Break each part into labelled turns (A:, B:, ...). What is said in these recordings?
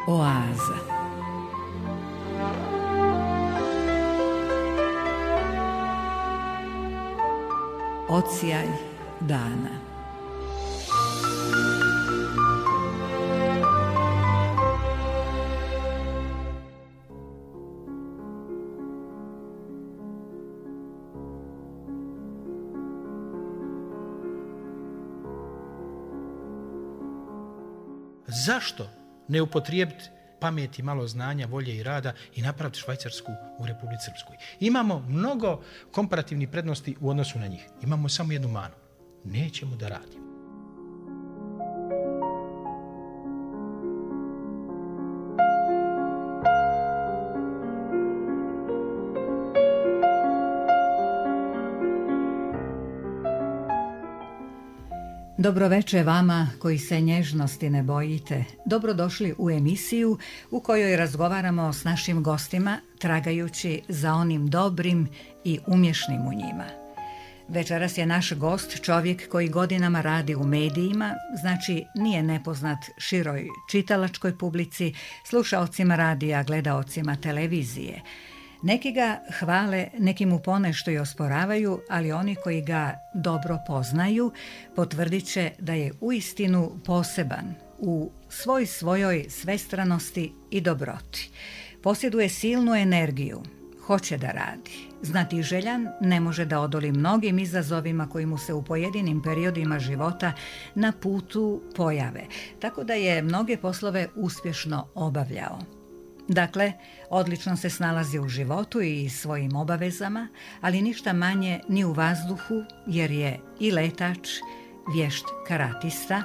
A: Oaza. Odsjaj dana.
B: Zašto ne upotrijebiti pameti, malo znanja, volje i rada i napraviti Švajcarsku u Republici Srpskoj? Imamo mnogo komparativnih prednosti u odnosu na njih. Imamo samo jednu manu. Nećemo da radimo.
A: Dobroveče vama koji se nježnosti ne bojite. Dobrodošli u emisiju u kojoj razgovaramo s našim gostima tragajući za onim dobrim i umješnim u njima. Večeras je naš gost čovjek koji godinama radi u medijima, znači nije nepoznat široj čitalačkoj publici, slušaocima radija, gledaocima televizije. Neki ga hvale, neki mu ponešto i osporavaju, ali oni koji ga dobro poznaju potvrdit će da je uistinu poseban u svojoj svestranosti i dobroti. Posjeduje silnu energiju, hoće da radi. Znatiželjan, ne može da odoli mnogim izazovima koji mu se u pojedinim periodima života na putu pojave, tako da je mnoge poslove uspješno obavljao. Dakle, odlično se snalazi u životu i svojim obavezama, ali ništa manje ni u vazduhu, jer je i letač, vješt karatista.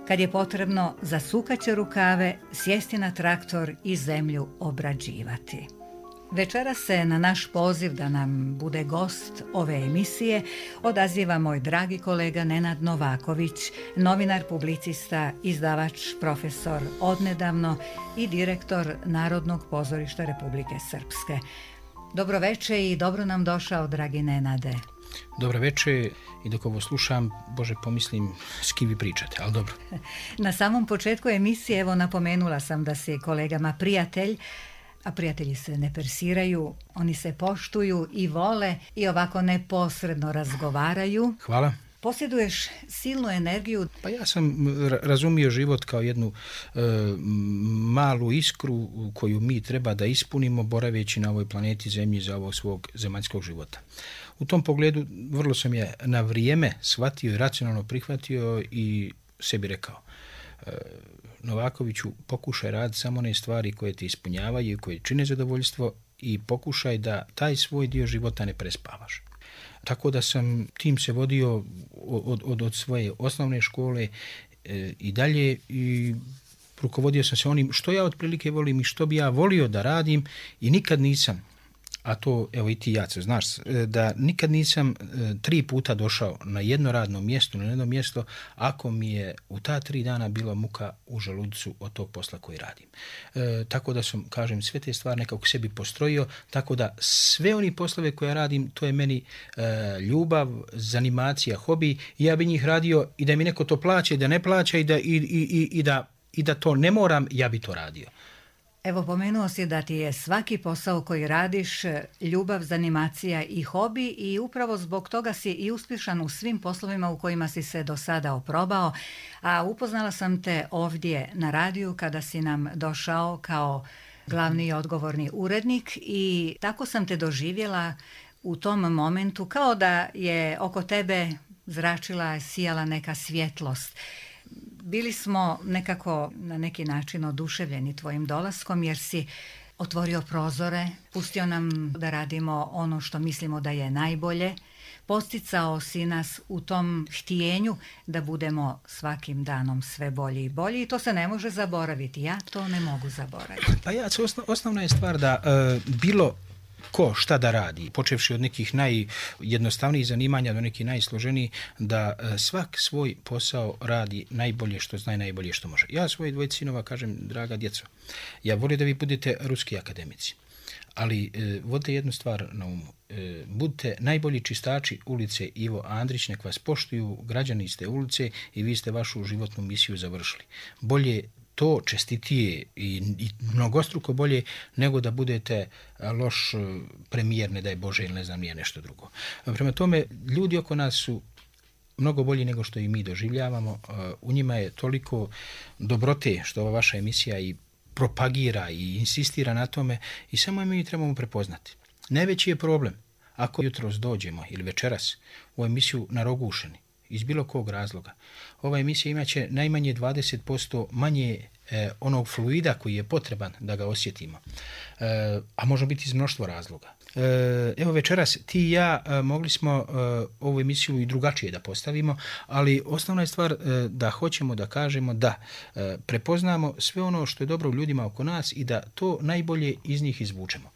A: Kad je potrebno, zasukat će rukave, sjesti na traktor i zemlju obrađivati. Večera se na naš poziv da nam bude gost ove emisije odaziva moj dragi kolega Nenad Novaković, novinar, publicista, izdavač, profesor odnedavno i direktor Narodnog pozorišta Republike Srpske. Dobroveče i dobro nam došao, dragi Nenade.
B: Dobroveče i dok ovo slušam, Bože, pomislim s kim vi pričate, ali dobro.
A: Na samom početku emisije, evo, napomenula sam da si kolegama prijatelj, a prijatelji se ne persiraju, oni se poštuju i vole i ovako neposredno razgovaraju.
B: Hvala.
A: Posjeduješ silnu energiju.
B: Pa ja sam razumio život kao jednu malu iskru koju mi treba da ispunimo boraveći na ovoj planeti Zemlji za ovog svog zemaljskog života. U tom pogledu vrlo sam je na vrijeme shvatio i racionalno prihvatio i sebi rekao: Novakoviću, pokušaj raditi samo one stvari koje te ispunjavaju i koje čine zadovoljstvo i pokušaj da taj svoj dio života ne prespavaš. Tako da sam tim se vodio od svoje osnovne škole i dalje i rukovodio sam se onim što ja otprilike volim i što bi ja volio da radim i nikad nisam, a to, evo i ti Jace, znaš, da nikad nisam 3 puta došao na jedno radno mjesto, na jedno mjesto, ako mi je u ta 3 dana bila muka u želucu od tog posla koji radim. Tako da sam, kažem, sve te stvari nekako sebi postrojio, tako da sve oni poslove koje radim, to je meni ljubav, zanimacija, hobi, i ja bi njih radio i da mi neko to plaća i da ne plaća i da to ne moram, ja bi to radio.
A: Evo, pomenuo si da ti je svaki posao koji radiš ljubav, zanimacija i hobi i upravo zbog toga si i uspješan u svim poslovima u kojima si se do sada oprobao, a upoznala sam te ovdje na radiju kada si nam došao kao glavni i odgovorni urednik i tako sam te doživjela u tom momentu kao da je oko tebe zračila, sijala neka svjetlost. Bili smo nekako na neki način oduševljeni tvojim dolaskom jer si otvorio prozore, pustio nam da radimo ono što mislimo da je najbolje, posticao si nas u tom htjenju da budemo svakim danom sve bolji i bolji i to se ne može zaboraviti. Ja to ne mogu zaboraviti.
B: Pa ja, osnovna je stvar da bilo ko šta da radi, počevši od nekih najjednostavnijih zanimanja do nekih najsloženijih, da svak svoj posao radi najbolje što zna i najbolje što može. Ja svoje 2 sinova kažem: draga djeco, ja volim da vi budete ruski akademici, ali vodite jednu stvar na umu. Budite najbolji čistači ulice Ivo Andrić, nek vas poštuju, građani ste ulice i vi ste vašu životnu misiju završili. Bolje to čestitije i mnogostruko bolje nego da budete loš premijer, ne daj Bože, ili ne znam nije nešto drugo. Prema tome, ljudi oko nas su mnogo bolji nego što i mi doživljavamo. U njima je toliko dobrote što ova vaša emisija i propagira i insistira na tome i samo mi trebamo prepoznati. Najveći je problem ako jutros dođemo ili večeras u emisiju narogušeni iz bilo kog razloga. Ova emisija imaće najmanje 20% manje onog fluida koji je potreban da ga osjetimo. A može biti iz mnoštvo razloga. Evo večeras ti i ja mogli smo ovu emisiju i drugačije da postavimo, ali osnovna je stvar da hoćemo da kažemo da prepoznamo sve ono što je dobro u ljudima oko nas i da to najbolje iz njih izvučemo.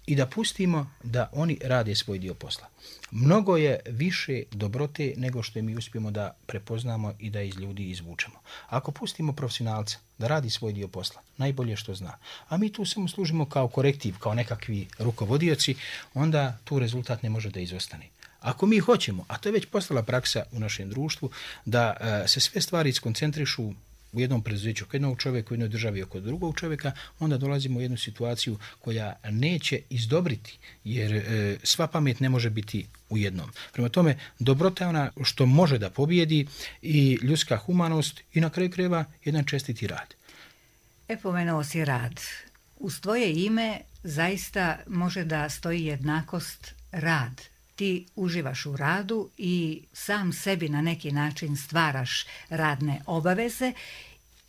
B: I da pustimo da oni rade svoj dio posla. Mnogo je više dobrote nego što mi uspijemo da prepoznamo i da iz ljudi izvučemo. Ako pustimo profesionalca da radi svoj dio posla, najbolje što zna, a mi tu samo služimo kao korektiv, kao nekakvi rukovodioci, onda tu rezultat ne može da izostane. Ako mi hoćemo, a to je već postala praksa u našem društvu, da se sve stvari skoncentrišu u jednom preduzeću oko jednog čovjeka, u jednoj državi oko drugog čovjeka, onda dolazimo u jednu situaciju koja neće izdobriti, jer sva pamet ne može biti u jednom. Prema tome, dobrota je ona što može da pobjedi i ljudska humanost i na kraju krajeva jedan čestiti rad.
A: Pomenuo si rad. Uz tvoje ime zaista može da stoji jednakost rad. Ti uživaš u radu i sam sebi na neki način stvaraš radne obaveze.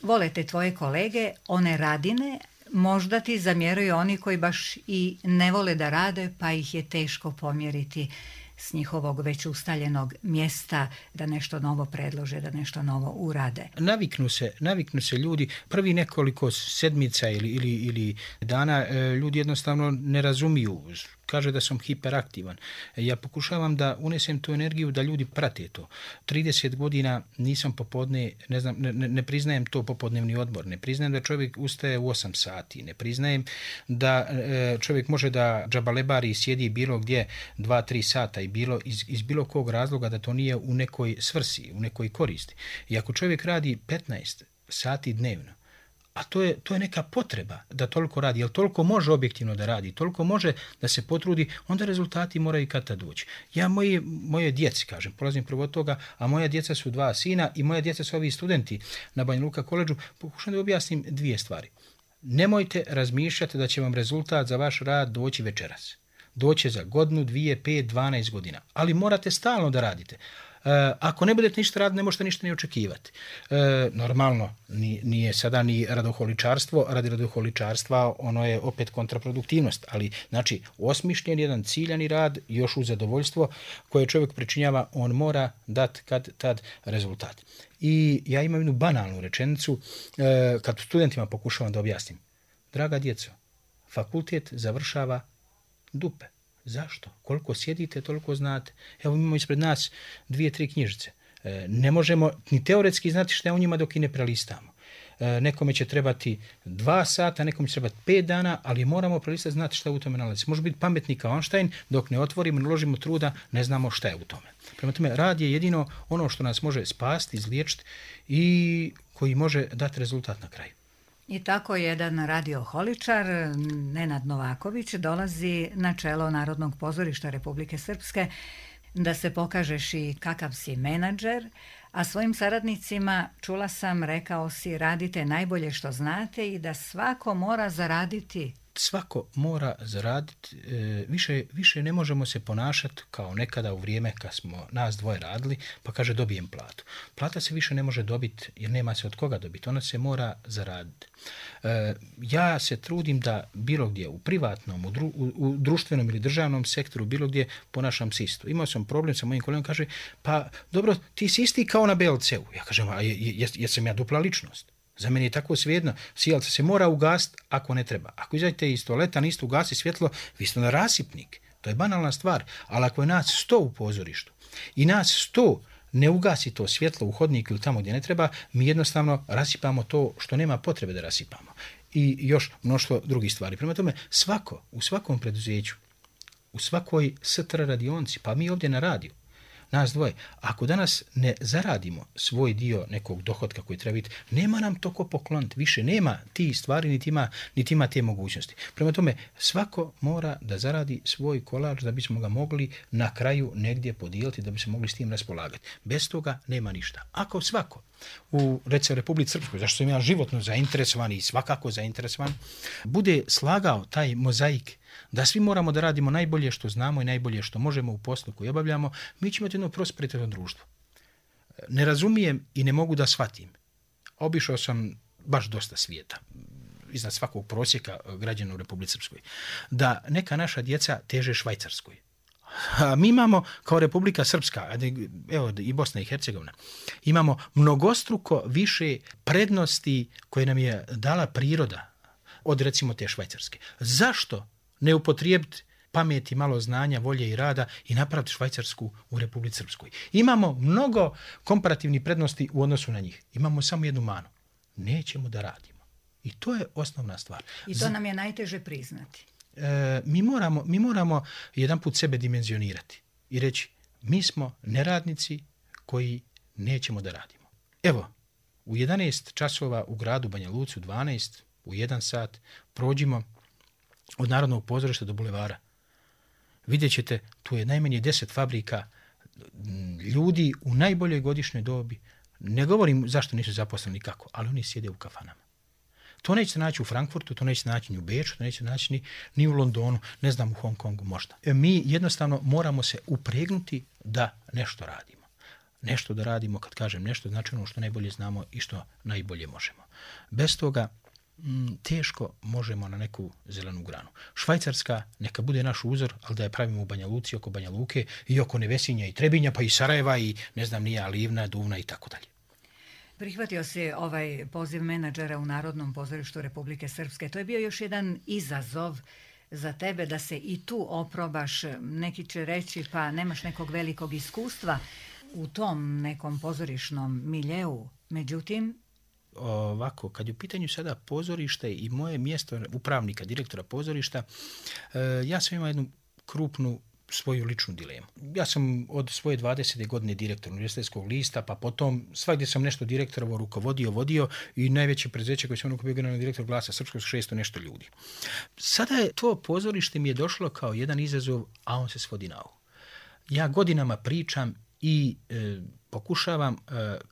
A: Vole te tvoje kolege, one radine, možda ti zamjeraju oni koji baš i ne vole da rade, pa ih je teško pomjeriti s njihovog već ustaljenog mjesta da nešto novo predlože, da nešto novo urade.
B: Naviknu se ljudi, prvi nekoliko sedmica ili dana ljudi jednostavno ne razumiju. Kaže da sam hiperaktivan. Ja pokušavam da unesem tu energiju da ljudi prate to. 30 godina nisam popodne, ne priznajem to popodnevni odmor, ne priznajem da čovjek ustaje u 8 sati, ne priznajem da čovjek može da džabalebari i sjedi bilo gdje 2-3 sata i iz bilo kog razloga da to nije u nekoj svrsi, u nekoj koristi. I ako čovjek radi 15 sati dnevno, a to je neka potreba da toliko radi, jer toliko može objektivno da radi, toliko može da se potrudi, onda rezultati moraju kad tad doći. Ja moje djeci, kažem, polazim prvo od toga, a moja djeca su 2 sina i moja djeca su ovi studenti na Banja Luka koledžu, pokušam da objasnim 2 stvari. Nemojte razmišljati da će vam rezultat za vaš rad doći večeras. Doće za godinu, 2, 5, 12 godina, ali morate stalno da radite. Ako ne budete ništa raditi, ne možete ništa ni očekivati. Normalno, nije sada ni radoholičarstvo, radi radoholičarstva ono je opet kontraproduktivnost, ali znači osmišljen jedan ciljani rad, još uz zadovoljstvo koje čovjek pričinjava, on mora dati kad tad rezultat. I ja imam jednu banalnu rečenicu, kad studentima pokušavam da objasnim. Draga djeco, fakultet završava dupe. Zašto? Koliko sjedite, toliko znate. Evo imamo ispred nas 2-3 knjižice. Ne možemo ni teoretski znati šta je u njima dok i ne prelistamo. Nekome će trebati 2 sata, nekome će trebati 5 dana, ali moramo prelistati, znati šta u tome nalazi. Može biti pametni kao Einstein, dok ne otvorimo, ne uložimo truda, ne znamo šta je u tome. Prema tome, rad je jedino ono što nas može spasti, izliječiti i koji može dati rezultat na kraju.
A: I tako jedan radioholičar, Nenad Novaković, dolazi na čelo Narodnog pozorišta Republike Srpske da se pokažeš i kakav si menadžer, a svojim saradnicima, čula sam, rekao si, radite najbolje što znate i da svako mora zaraditi.
B: Svako mora zaraditi, više ne možemo se ponašati kao nekada u vrijeme kad smo nas dvoje radili, pa kaže dobijem platu. Plata se više ne može dobiti jer nema se od koga dobiti, ona se mora zaraditi. Ja se trudim da bilo gdje u privatnom, u društvenom ili državnom sektoru, bilo gdje ponašam se isto. Imao sam problem sa mojim kolegom, kaže, pa dobro, ti si isti kao na BLC-u. Ja kažem, a jesam ja dupla ličnost? Za mene je tako svejedno, sijalca se mora ugasiti ako ne treba. Ako izađete iz toaleta, niste ugasi svjetlo, vi ste na rasipnik. To je banalna stvar. Ali ako je nas 100 u pozorištu i nas 100 ne ugasi to svjetlo u hodnik ili tamo gdje ne treba, mi jednostavno rasipamo to što nema potrebe da rasipamo. I još mnoštvo drugih stvari. Prema tome, u svakom preduzeću, u svakoj STR radionci, pa mi ovdje na radiju, nas dvoje. Ako danas ne zaradimo svoj dio nekog dohotka koji treba biti, nema nam to ko pokloniti. Više nema ti stvari, niti ima te mogućnosti. Prema tome, svako mora da zaradi svoj kolač da bismo ga mogli na kraju negdje podijeliti, da bi se mogli s tim raspolagati. Bez toga nema ništa. Ako svako u, recimo, Republici Srpskoj, zašto sam ja životno zainteresovan i svakako zainteresovan, bude slagao taj mozaik da svi moramo da radimo najbolje što znamo i najbolje što možemo u poslu koji obavljamo, mi ćemo imati jedno prosperitetno društvo. Ne razumijem i ne mogu da shvatim. Obišao sam baš dosta svijeta, iznad svakog prosjeka građana u Republici Srpskoj, da neka naša djeca teže Švajcarskoj. A mi imamo kao Republika Srpska, evo i Bosna i Hercegovina, imamo mnogostruko više prednosti koje nam je dala priroda od recimo te Švajcarske. Zašto ne upotrijebiti pameti, malo znanja, volje i rada i napraviti Švajcarsku u Republici Srpskoj? Imamo mnogo komparativnih prednosti u odnosu na njih. Imamo samo jednu manu. Nećemo da radimo. I to je osnovna stvar.
A: I to nam je najteže priznati.
B: Mi moramo jedan put sebe dimenzionirati i reći mi smo neradnici koji nećemo da radimo. Evo, u 11 časova u gradu Banja Luci, u 12, u 1 sat prođimo od Narodnog pozorišta do bulevara. Vidjet ćete, tu je najmanje 10 fabrika, ljudi u najboljoj godišnjoj dobi. Ne govorim zašto nisu zaposleni kako, ali oni sjede u kafanama. To nećete naći u Frankfurtu, to nećete naći ni u Beču, to nećete naći ni u Londonu, ne znam, u Hong Kongu možda. Mi jednostavno moramo se upregnuti da nešto radimo. Nešto da radimo, kad kažem nešto, znači ono što najbolje znamo i što najbolje možemo. Bez toga teško možemo na neku zelenu granu. Švajcarska neka bude naš uzor, ali da je pravimo u Banja Luci, oko Banja Luke i oko Nevesinja i Trebinja, pa i Sarajeva i ne znam nije Livna, Duvna i tako dalje.
A: Prihvatio si ovaj poziv menadžera u Narodnom pozorištu Republike Srpske. To je bio još jedan izazov za tebe da se i tu oprobaš. Neki će reći pa nemaš nekog velikog iskustva u tom nekom pozorišnom miljeu. Međutim,
B: ovako, kad je u pitanju sada pozorište i moje mjesto upravnika, direktora pozorišta, ja sam imao jednu krupnu svoju ličnu dilemu. Ja sam od svoje 20. godine direktor Univerzitetskog lista, pa potom svakdje sam nešto direktorovo vodio i najveće preduzeće koje sam bio generalni direktor Glasa Srpskog 600 nešto ljudi. Sada je to pozorište mi je došlo kao jedan izazov, a on se svodi na ovo. Ja godinama pričam i pokušavam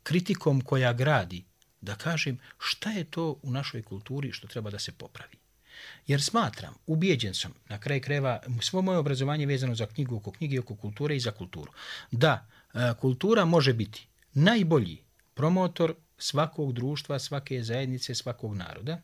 B: kritikom koja gradi da kažem šta je to u našoj kulturi što treba da se popravi. Jer smatram, ubijeđen sam, na kraju krajeva, svo moje obrazovanje vezano za knjigu, oko knjige, oko kulture i za kulturu, da kultura može biti najbolji promotor svakog društva, svake zajednice, svakog naroda.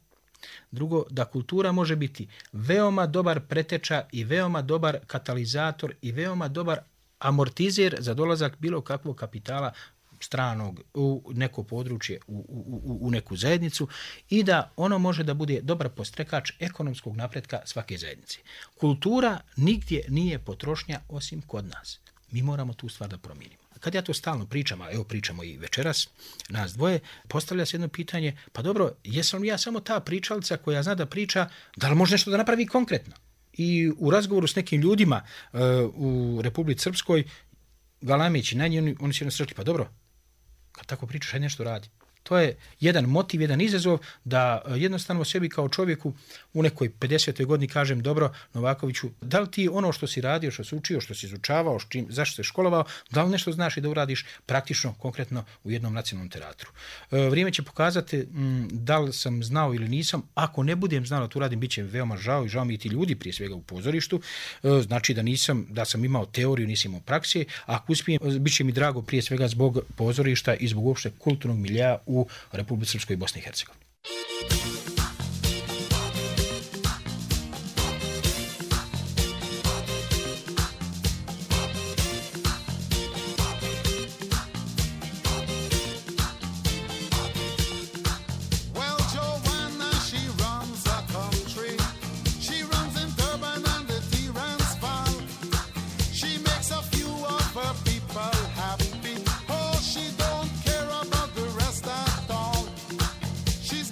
B: Drugo, da kultura može biti veoma dobar preteča i veoma dobar katalizator i veoma dobar amortizer za dolazak bilo kakvog kapitala stranog u neko područje, u neku zajednicu i da ono može da bude dobar postrekač ekonomskog napretka svake zajednice. Kultura nigdje nije potrošnja osim kod nas. Mi moramo tu stvar da promijenimo. Kad ja to stalno pričam, a evo pričamo i večeras, nas dvoje, postavlja se jedno pitanje, pa dobro, jesam li ja samo ta pričalica koja zna da priča, da li može nešto da napravi konkretno? I u razgovoru s nekim ljudima u Republici Srpskoj, galameći na njih, oni će nas rekli, pa dobro, kad tako pričaš, hajde nešto radi. To je jedan motiv, jedan izazov da jednostavno sebi kao čovjeku u nekoj 50. godini kažem, dobro, Novakoviću, da li ti ono što si radio, što si učio, što si izučavao, zašto si školovao, da li nešto znaš i da uradiš praktično, konkretno u jednom nacionalnom teatru. Vrijeme će pokazati da li sam znao ili nisam. Ako ne budem znao da to uradim, bit će veoma žao i žao mi i ti ljudi prije svega u pozorištu. Znači da sam imao teoriju, nisam imao praksije. Ako uspijem, bit će mi drago prije svega zbog pozorišta i zbog uopšte kulturnog milja u Republici Srpskoj i Bosni i Hercegovini.
C: She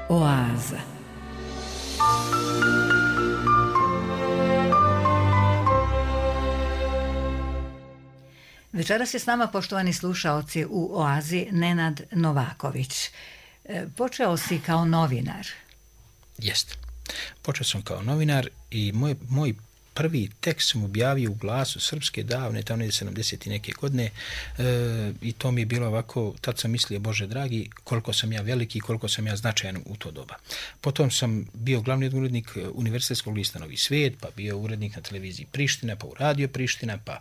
A: Oaza. Večeras je s nama, poštovani slušaoci, u Oazi Nenad Novaković. Počeo si kao novinar.
B: Jeste. Počeo sam kao novinar i moj prvi tekst sam objavio u Glasu Srpske davne, tamo je 70 i neke godine, i to mi je bilo ovako, tad sam mislio, Bože dragi, koliko sam ja veliki, koliko sam ja značajan u to doba. Potom sam bio glavni urednik Univerzitetskog lista Novi svijet, pa bio urednik na televiziji Priština, pa u radio Priština, pa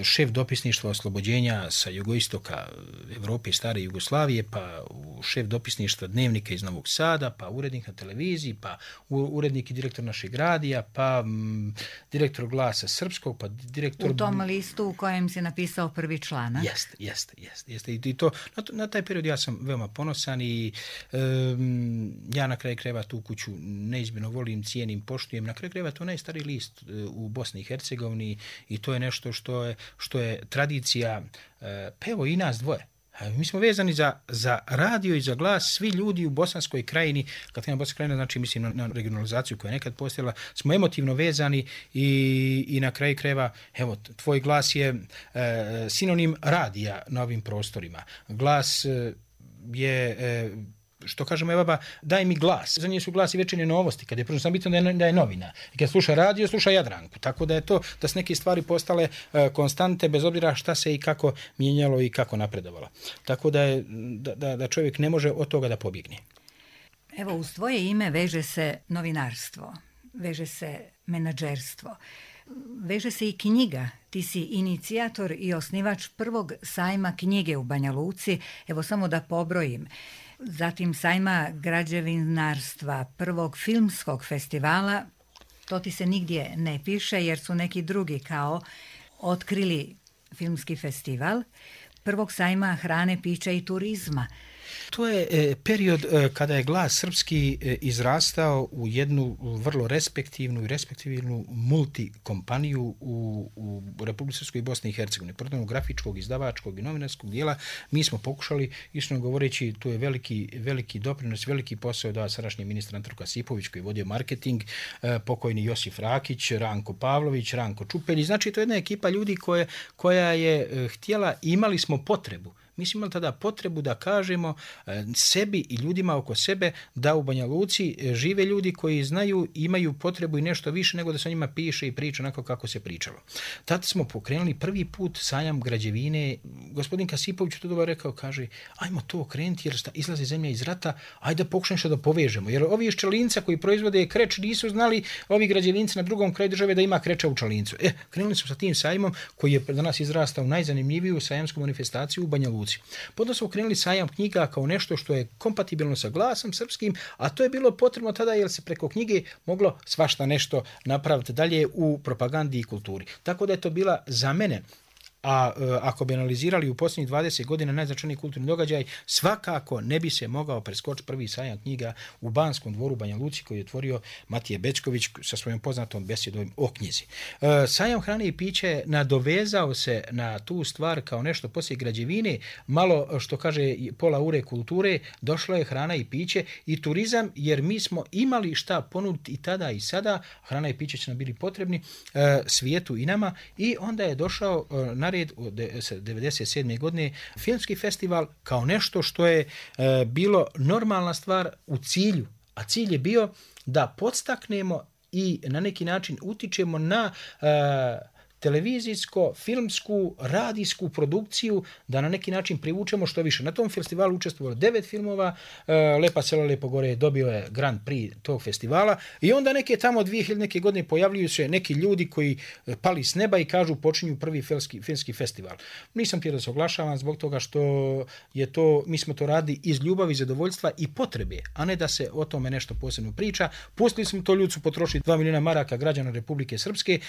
B: šef dopisništva oslobođenja sa jugoistoka Evrope, stare Jugoslavije, pa šef dopisništva Dnevnika iz Novog Sada, pa urednik na televiziji, pa urednik i direktor našeg radija, pa direktor Glasa Srpskog, pa direktor...
A: U tom listu u kojem si napisao prvi članak.
B: Jeste. I to, na taj period ja sam veoma ponosan i ja na kraju krajeva tu kuću neizmjerno volim, cijenim, poštujem. Na kraju krajeva to je najstariji list u Bosni i Hercegovini i to je nešto što je tradicija, pa evo i nas dvoje. Mi smo vezani za radio i za glas, svi ljudi u Bosanskoj krajini, kad kažem Bosanska krajina, znači mislim na regionalizaciju koja je nekad postojala, smo emotivno vezani i na kraju krajeva, evo, tvoj glas je sinonim radija na ovim prostorima. Glas je... što kažemo, evo baba, daj mi glas. Za nje su glas i Večernje novosti, kad je prvo sam bitno da je novina. I kad sluša radio, sluša Jadranku. Tako da je to, da su neke stvari postale konstante, bez obzira šta se i kako mijenjalo i kako napredovalo. Tako da čovjek ne može od toga da pobjegne.
A: Evo, uz tvoje ime veže se novinarstvo, veže se menadžerstvo, veže se i knjiga. Ti si inicijator i osnivač prvog sajma knjige u Banja Luci. Evo, samo da pobrojim. Zatim sajma građevinarstva, prvog filmskog festivala, to ti se nigdje ne piše jer su neki drugi kao otkrili filmski festival, prvog sajma hrane, pića i turizma.
B: To je period kada je Glas Srpski izrastao u jednu vrlo respektivnu multikompaniju u Republici Srpskoj i Bosni i Hercegovini. Protiv grafičkog, izdavačkog i novinarskog dijela mi smo pokušali, iskreno govoreći, to je veliki doprinos, veliki posao da sadašnji ministar Anton Kasipović koji je vodio marketing, pokojni Josif Rakić, Ranko Pavlović, Ranko Čupelj. Znači, to je jedna ekipa ljudi koja je htjela, imali smo potrebu. Mi smo imali tada potrebu da kažemo sebi i ljudima oko sebe da u Banja Luci žive ljudi koji znaju, imaju potrebu i nešto više nego da se o njima piše i priča onako kako se pričalo. Tada smo pokrenuli prvi put sajam građevine. Gospodin Kasipović to dobro rekao, kaže, ajmo to okrenuti jer izlazi zemlja iz rata, ajde da pokušamo što da povežemo. Jer ovi iz Čelinca koji proizvode kreč nisu znali, ovi građevinci na drugom kraju države da ima kreča u Čelincu. Krenuli smo sa tim sajmom koji je danas izrastao u najzanimljiviju sajamsku manifestaciju u Banja Luci. Potom smo krenuli sajam knjiga kao nešto što je kompatibilno sa Glasom Srpskim, a to je bilo potrebno tada jer se preko knjige moglo svašta nešto napraviti dalje u propagandi i kulturi. Tako da je to bila za mene, a ako bi analizirali u posljednjih 20 godina najznačajniji kulturni događaj, svakako ne bi se mogao preskočiti prvi sajam knjiga u Banskom dvoru Banja Luci koji je otvorio Matije Bečković sa svojom poznatom besjedom o knjizi. Sajam hrane i piće nadovezao se na tu stvar kao nešto poslije građevine, malo što kaže pola ure kulture, došlo je hrana i piće i turizam jer mi smo imali šta ponuditi i tada i sada, hrana i piće će nam bili potrebni svijetu i nama i onda je došao na red od 1997. godine filmski festival kao nešto što je bilo normalna stvar u cilju, a cilj je bio da podstaknemo i na neki način utičemo na televizijsko, filmsku, radijsku produkciju, da na neki način privučemo što više. Na tom festivalu učestvovalo 9 filmova, Lepa selo, Lepo gore dobio je Grand Prix tog festivala i onda neke tamo 2000 neke godine pojavljuju se neki ljudi koji pali s neba i kažu počinju prvi filmski festival. Nisam htio da se oglašavam zbog toga što je to, mi smo to radili iz ljubavi, zadovoljstva i potrebe, a ne da se o tome nešto posebno priča. Pustili smo to, ljudi su potrošili 2 miliona maraka građana Republike Srpske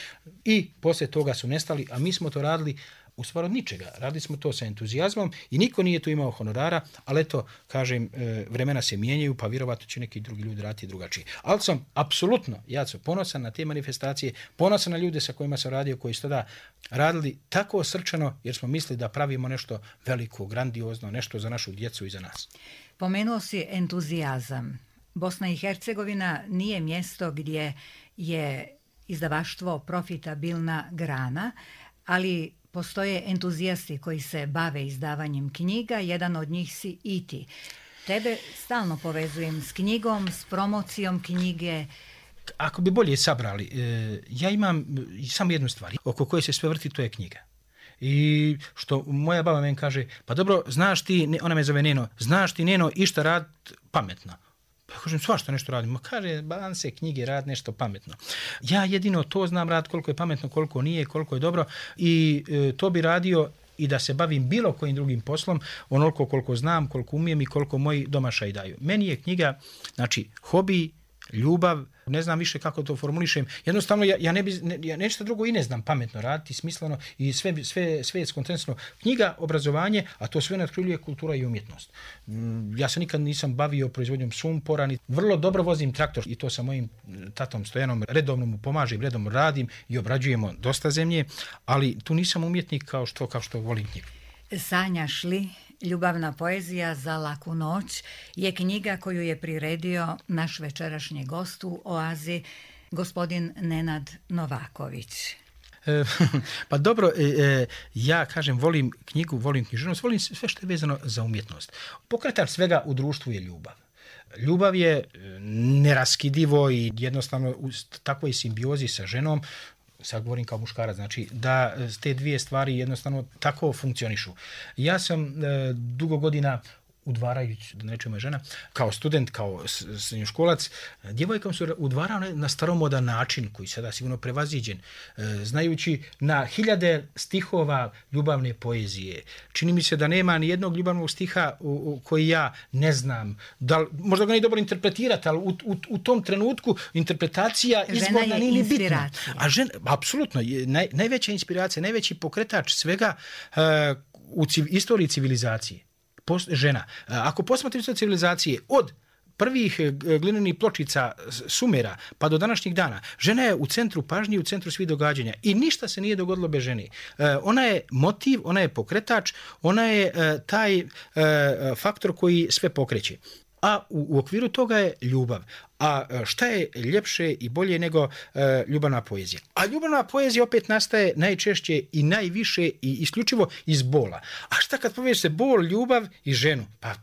B: i poslije toga su nestali, a mi smo to radili u stvari od ničega. Radili smo to sa entuzijazmom i niko nije tu imao honorara, ali eto, kažem, vremena se mijenjaju, pa vjerovatno će neki drugi ljudi raditi drugačije. Ali sam apsolutno, ja sam ponosan na te manifestacije, ponosan na ljude sa kojima sam radio, koji su tada radili tako srčano, jer smo mislili da pravimo nešto veliko, grandiozno, nešto za našu djecu i za nas.
A: Pomenuo si entuzijazam. Bosna i Hercegovina nije mjesto gdje je izdavaštvo profitabilna grana, ali postoje entuzijasti koji se bave izdavanjem knjiga, jedan od njih si i ti. Tebe stalno povezujem s knjigom, s promocijom knjige.
B: Ako bi bolje sabrali, ja imam samo jednu stvar oko koje se sve vrti, to je knjiga. I što moja baba meni kaže, pa dobro, znaš ti, ona me zove Neno, znaš ti Neno išta rad pametno? Pa kažem, svašta nešto radim. Ma kaže, ban se knjige rad nešto pametno. Ja jedino to znam rad, koliko je pametno, koliko nije, koliko je dobro i to bi radio i da se bavim bilo kojim drugim poslom, onoliko koliko znam, koliko umijem i koliko moji domašaji daju. Meni je knjiga, znači, hobi, ljubav, ne znam više kako to formulišem. Jednostavno, ja nešto drugo i ne znam pametno raditi, smisleno i sve je skontensno. Knjiga, obrazovanje, a to sve nadkriljuje kultura i umjetnost. Ja se nikad nisam bavio proizvodnjom sumpora, vrlo dobro vozim traktor i to sa mojim tatom Stojanom redovno mu pomažem, redovno radim i obrađujemo dosta zemlje, ali tu nisam umjetnik kao što volim knjigu.
A: Sanjaš li? Ljubavna poezija za laku noć je knjiga koju je priredio naš večerašnji gost u Oazi, gospodin Nenad Novaković.
B: Pa dobro, ja kažem, volim knjigu, volim književnost, volim sve što je vezano za umjetnost. Pokretač svega u društvu je ljubav. Ljubav je neraskidivo i jednostavno u takvoj simbiozi sa ženom, sad govorim kao muškarac, znači da te dvije stvari jednostavno tako funkcionišu. Ja sam dugo godina udvarajući, da ne rečem moja žena, kao student, kao srednjoškolac, djevojkom su udvarao na staromodan način, koji sada sigurno prevaziđen, znajući na hiljade stihova ljubavne poezije. Čini mi se da nema ni jednog ljubavnog stiha koji ja ne znam. Možda ga nije dobro interpretirati, ali u tom trenutku interpretacija izborna nije ni bitna. A žena, apsolutno, najveća inspiracija, najveći pokretač svega u istoriji civilizacije. Žena. Ako posmatramo civilizacije od prvih glinenih pločica Sumera pa do današnjih dana, žena je u centru pažnje, u centru svih događanja i ništa se nije dogodilo bez žene. Ona je motiv, ona je pokretač, ona je taj faktor koji sve pokreće. A u okviru toga je ljubav. A šta je ljepše i bolje nego ljubavna poezija? A ljubavna poezija opet nastaje najčešće i najviše i isključivo iz bola. A šta kad povežeš se bol, ljubav i ženu? Pa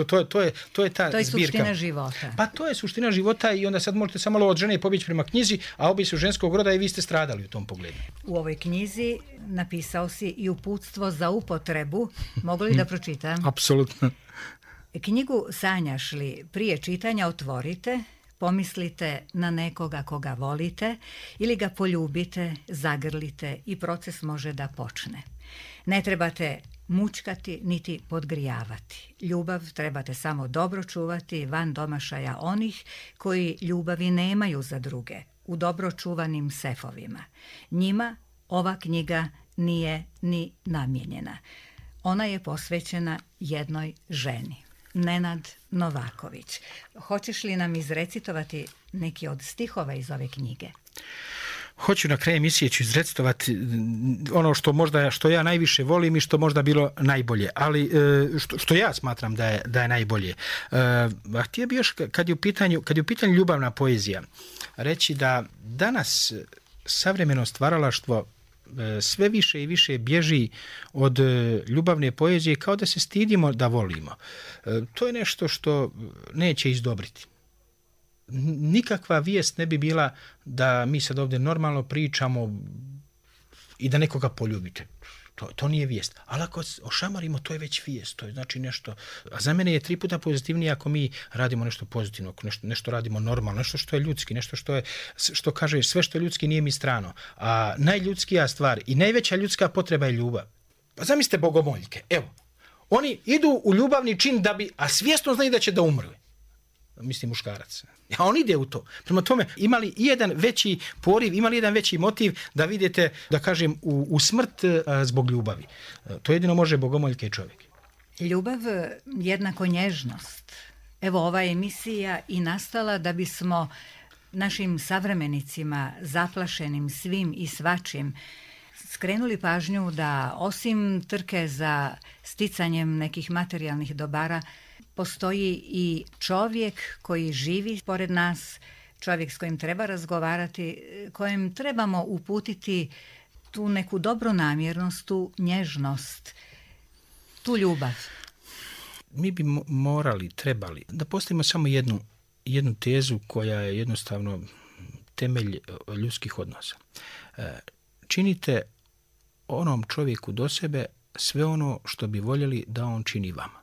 B: to je ta zbirka.
A: To je suština života.
B: Pa to je suština života i onda sad možete samo malo od žene pobjeći prema knjizi, a obje su ženskog roda i vi ste stradali u tom pogledu.
A: U ovoj knjizi napisao si i uputstvo za upotrebu. Mogu li da pročitam?
B: Apsolutno.
A: Knjigu Sanjaš li prije čitanja otvorite, pomislite na nekoga koga volite ili ga poljubite, zagrlite i proces može da počne. Ne trebate mučkati niti podgrijavati. Ljubav trebate samo dobro čuvati van domašaja onih koji ljubavi nemaju za druge, u dobro čuvanim sefovima. Njima ova knjiga nije ni namijenjena. Ona je posvećena jednoj ženi. Nenad Novaković. Hoćeš li nam izrecitovati neki od stihova iz ove knjige?
B: Hoću na kraju emisije ću izrecitovati ono što ja najviše volim i što možda bilo najbolje, ali što ja smatram da je najbolje. Htio bih još kad je u pitanju ljubavna poezija reći da danas savremeno stvaralaštvo sve više i više bježi od ljubavne poezije kao da se stidimo da volimo. To je nešto što neće izdobriti. Nikakva vijest ne bi bila da mi sad ovdje normalno pričamo i da nekoga poljubite. To nije vijest. Ali ako ošamarimo, to je već vijest. To je znači nešto. A za mene je 3 puta pozitivnije ako mi radimo nešto pozitivno, nešto radimo normalno, nešto što je ljudski, nešto što kaže sve što je ljudski nije mi strano. A najljudskija stvar i najveća ljudska potreba je ljubav. Pa zamislite bogomoljke. Evo, oni idu u ljubavni čin a svjesno znaju da će da umru. mislim muškarac. A on ide u to. Prema tome, imali jedan veći poriv, imali jedan veći motiv da vidite, da kažem, u smrt zbog ljubavi. To jedino može bogomoljke čovjek.
A: Ljubav jednako nježnost. Evo, ova emisija i nastala da bismo našim savremenicima, zaplašenim svim i svačim, skrenuli pažnju da osim trke za sticanjem nekih materijalnih dobara, postoji i čovjek koji živi pored nas, čovjek s kojim treba razgovarati, kojem trebamo uputiti tu neku dobronamjernost, tu nježnost, tu ljubav.
B: Mi bi trebali da postavimo samo jednu tezu koja je jednostavno temelj ljudskih odnosa. Činite onom čovjeku do sebe sve ono što bi voljeli da on čini vama.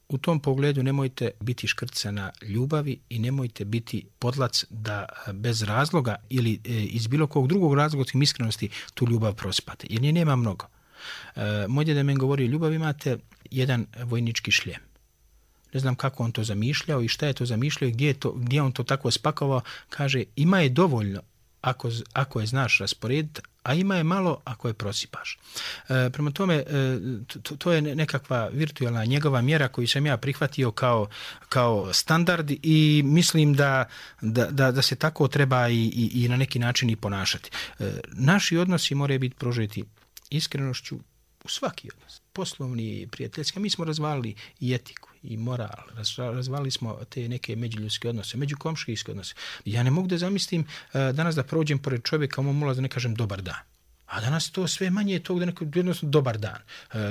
B: U tom pogledu nemojte biti škrcana ljubavi i nemojte biti podlac da bez razloga ili iz bilo kog drugog razloga tim iskrenosti tu ljubav prospate. Jer nje nema mnogo. Moj djeda meni govori, ljubav imate jedan vojnički šljem. Ne znam kako on to zamišljao i šta je to zamišljao i gdje on to tako spakovao. Kaže, ima je dovoljno ako je znaš rasporediti, a ima je malo ako je prosipaš. Prema tome, to je nekakva virtualna njegova mjera koju sam ja prihvatio kao standard i mislim da se tako treba i na neki način i ponašati. Naši odnosi moraju biti prožeti iskrenošću u svaki odnos. Poslovni i prijateljski. Mi smo razvalili i etiku i moral. Razvalili smo te neke međuljudske odnose, međukomšijske odnose. Ja ne mogu da zamislim danas da prođem pored čovjeka, mu mola da ne kažem dobar dan. A danas to sve manje je tog da jednostavno dobar dan.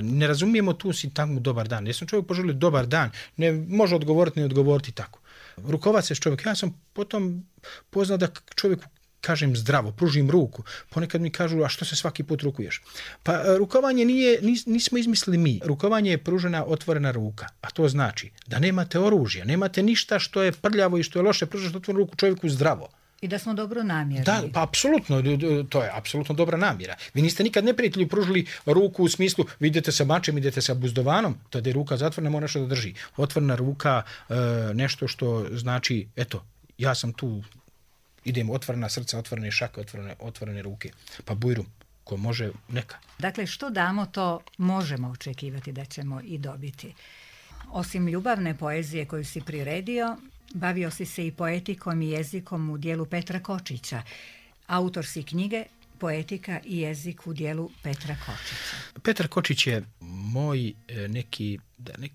B: Ne razumijemo tu sintagmu dobar dan. Jesam čovjek poželio dobar dan, ne može odgovoriti, ne odgovoriti tako. Rukovati se s čovjekom. Ja sam potom poznao da čovjeku kažem zdravo, pružim ruku. Ponekad mi kažu, a što se svaki put rukuješ? Pa rukovanje nismo izmislili mi. Rukovanje je pružena otvorena ruka. A to znači da nemate oružja, nemate ništa što je prljavo i što je loše, pružaš otvorenu ruku čovjeku zdravo.
A: I da smo dobro namjerni.
B: Da, pa apsolutno, to je apsolutno dobra namjera. Vi niste nikad neprijatelju pružili ruku u smislu, vi idete sa mačem, idete sa buzdovanom, tada je ruka zatvorena, mora nešto da drži. Otvorena ruka, nešto što znači, eto, ja sam tu, idem, otvorena srca, otvorene šake, otvorene ruke. Pa bujru, ko može, neka.
A: Dakle, što damo, to možemo očekivati da ćemo i dobiti. Osim ljubavne poezije koju si priredio, bavio si se i poetikom i jezikom u dijelu Petra Kočića. Autor si knjige Poetika i jezik u dijelu Petra Kočića.
B: Petar Kočić je moj neki,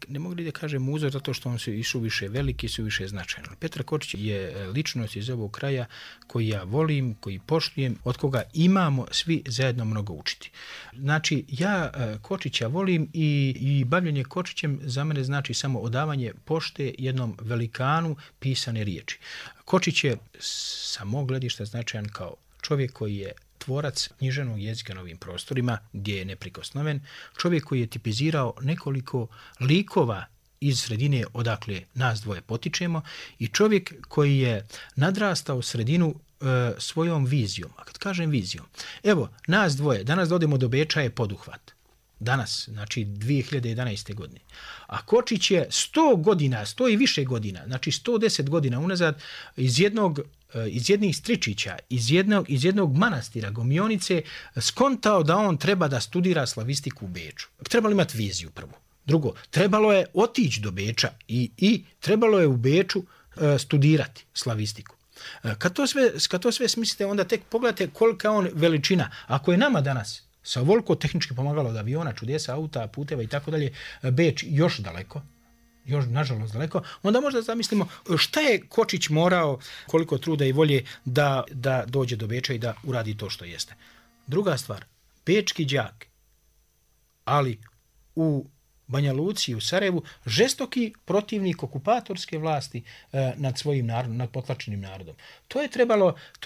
B: ne mogu li da kažem uzor, zato što on se i suviše veliki, suviše značajan. Petar Kočić je ličnost iz ovog kraja koji ja volim, koji poštujem, od koga imamo svi zajedno mnogo učiti. Znači, ja Kočića volim i bavljenje Kočićem za mene znači samo odavanje pošte jednom velikanu pisane riječi. Kočić je sa mog gledišta značajan kao čovjek koji je tvorac književnog jezika na ovim prostorima gdje je neprikosnoven, čovjek koji je tipizirao nekoliko likova iz sredine odakle nas dvoje potičemo i čovjek koji je nadrastao sredinu svojom vizijom. A kad kažem vizijom, evo, nas dvoje, danas da odemo do Beča je poduhvat. Danas, znači 2011. godine. A Kočić je 100 godina, 100 i više godina, znači 110 godina unazad iz jednih stričića, iz jednog manastira Gomionice skontao da on treba da studira slavistiku u Beču. Trebalo imati viziju prvo. Drugo, trebalo je otići do Beča i trebalo je u Beču studirati slavistiku. Kad to sve smislite, onda tek pogledajte kolika on veličina. Ako je nama danas sa ovoliko tehnički pomagalo od aviona, čudesa, auta, puteva i tako dalje, Beč još daleko, još nažalost daleko, onda možda zamislimo šta je Kočić morao, koliko truda i volje da dođe do Beča i da uradi to što jeste. Druga stvar, bečki đak, ali u Banja Luci, u Sarajevu, žestoki protivnik okupatorske vlasti nad svojim narodom, nad potlačenim narodom. To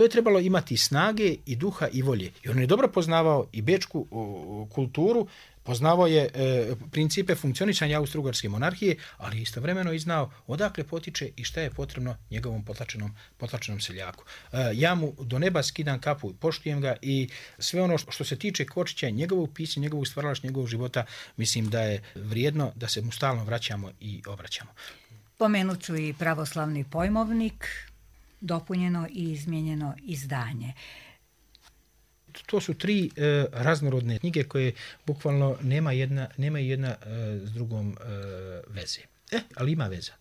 B: je trebalo imati snage i duha i volje. I on je dobro poznavao i bečku kulturu, poznavao je principe funkcionisanja Austro-Ugarske monarhije, ali istovremeno i znao odakle potiče i šta je potrebno njegovom potlačenom seljaku. Ja mu do neba skidam kapu, poštujem ga i sve ono što se tiče Kočića, njegovog pisanja, njegovog stvaralaštva, njegovog života, mislim da je vrijedno da se mu stalno vraćamo i obraćamo.
A: Pomenut ću i pravoslavni pojmovnik, dopunjeno i izmijenjeno izdanje.
B: To su 3 raznorodne knjige koje bukvalno nema jedna s drugom veze. Ali ima veza.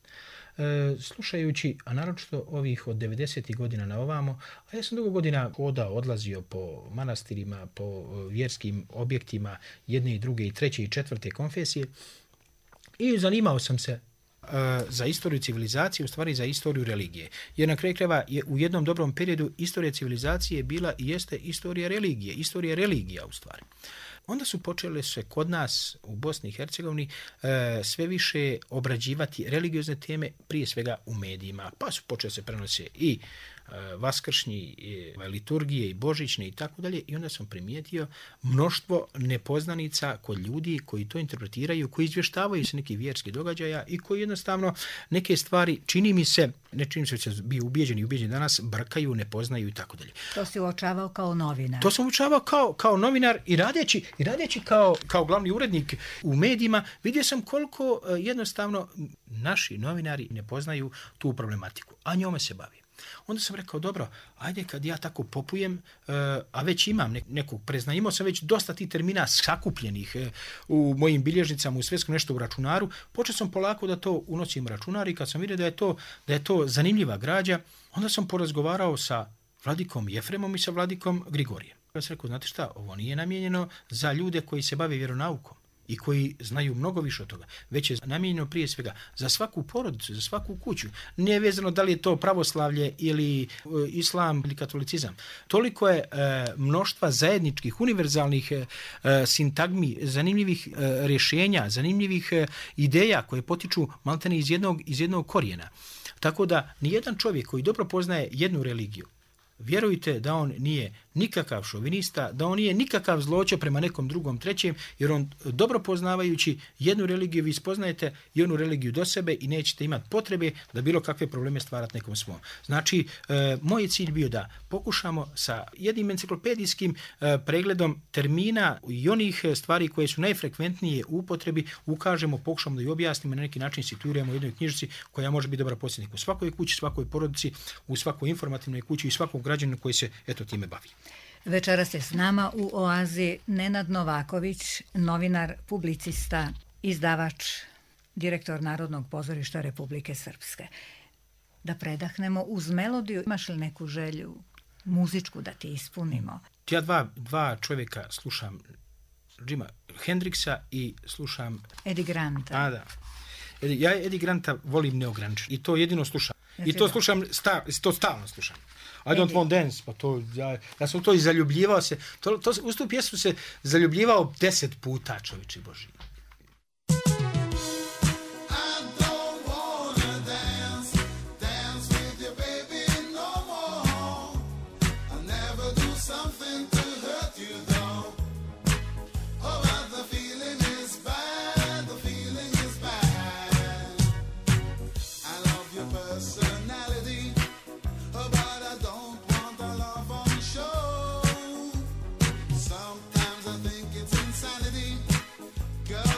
B: Slušajući, a naročito ovih od 90. godina na ovamo, a ja sam dugo godina odlazio po manastirima, po vjerskim objektima jedne i druge i treće i četvrte konfesije i zanimao sam se za istoriju civilizacije, u stvari za istoriju religije. Jer na kraju krajeva u jednom dobrom periodu istorija civilizacije bila i jeste istorija religija u stvari. Onda su počele se kod nas u Bosni i Hercegovini sve više obrađivati religiozne teme, prije svega u medijima, pa su počele se prenose i vaskršnji, i liturgije i božićne i tako dalje, i onda sam primijetio mnoštvo nepoznanica kod ljudi koji to interpretiraju, koji izvještavaju se nekih vjerskih događaja i koji jednostavno neke stvari, čini mi se bi ubijeđeni danas, brkaju, ne poznaju i tako dalje.
A: To si uočavao kao novinar?
B: To sam uočavao kao novinar i radeći kao glavni urednik u medijima, vidio sam koliko jednostavno naši novinari ne poznaju tu problematiku, a njome se bavi. Onda sam rekao, dobro, ajde kad ja tako popujem, a već imam nekog prezna, imao sam već dosta tih termina sakupljenih u mojim bilježnicama, u svetskom nešto u računaru, počeo sam polako da to unosim u računar i kad sam vidio da je to zanimljiva građa, onda sam porazgovarao sa vladikom Jefremom i sa vladikom Grigorijem. Ja sam rekao, znate šta, ovo nije namijenjeno za ljude koji se bave vjeronaukom i koji znaju mnogo više od toga, već je namijenjeno prije svega za svaku porodicu, za svaku kuću. Nije vezano da li je to pravoslavlje ili islam ili katolicizam. Toliko je mnoštva zajedničkih, univerzalnih sintagmi, zanimljivih rješenja, zanimljivih ideja koje potiču maltene iz jednog korijena. Tako da nijedan čovjek koji dobro poznaje jednu religiju, vjerujte da on nije nikakav šovinista, da on nije nikakav zločin prema nekom drugom, trećem, jer on dobro poznavajući jednu religiju, vi spoznajete jednu religiju do sebe i nećete imati potrebe da bilo kakve probleme stvarati nekom svom. Znači, moj je cilj bio da pokušamo sa jednim enciklopedijskim pregledom termina i onih stvari koje su najfrekventnije u upotrebi, ukažemo, pokušamo da i objasnimo, na neki način situiramo u jednoj knjižici koja može biti dobar podsjetnik u svakoj kući, svakoj porodici, u svakoj informativnoj kući i svakom građaninu koji se time bavi.
A: Večeras je s nama u Oazi Nenad Novaković, novinar, publicista, izdavač, direktor Narodnog pozorišta Republike Srpske. Da predahnemo uz melodiju, imaš li neku želju muzičku da ti ispunimo?
B: Ja dva čovjeka slušam, Jima Hendrixa i slušam
A: Eddie Granta.
B: Da. Ja Eddie Granta volim neograničeno i to jedino slušam. I to slušam, to stalno slušam. I don't want dance, pa to, ja sam to i zaljubljivao se, uz tu pjesmu se zaljubljivao 10 puta, čovječe Boži.
C: Girl,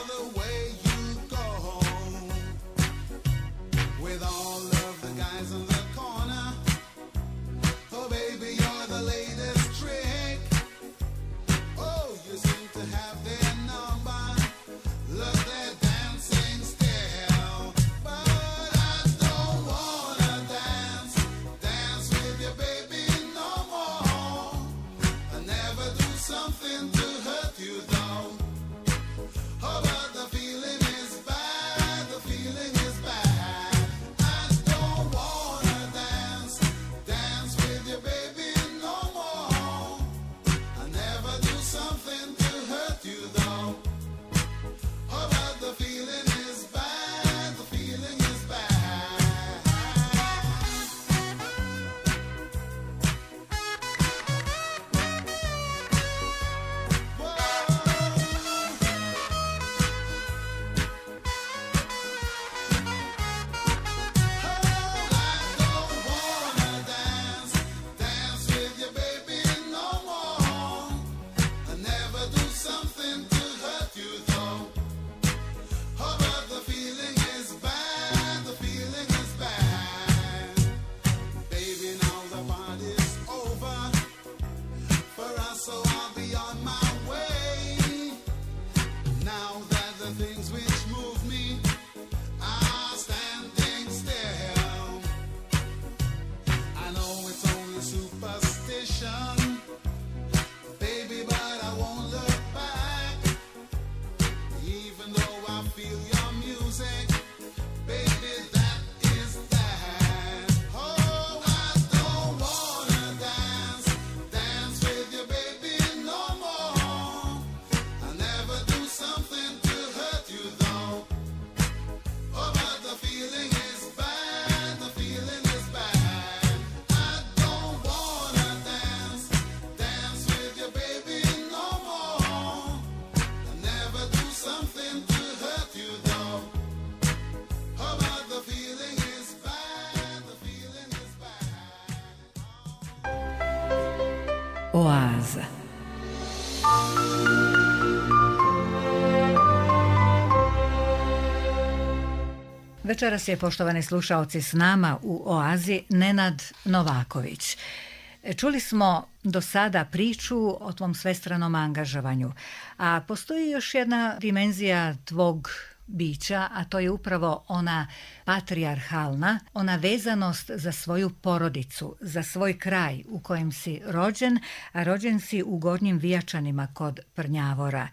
A: Oaza. Večeras je, poštovani slušaoci, s nama u Oazi Nenad Novaković. Čuli smo do sada priču o tvom svestranom angažovanju, a postoji još jedna dimenzija tvog bića, a to je upravo ona patrijarhalna, ona vezanost za svoju porodicu, za svoj kraj u kojem si rođen, a rođen si u Gornjim Vijačanima kod Prnjavora.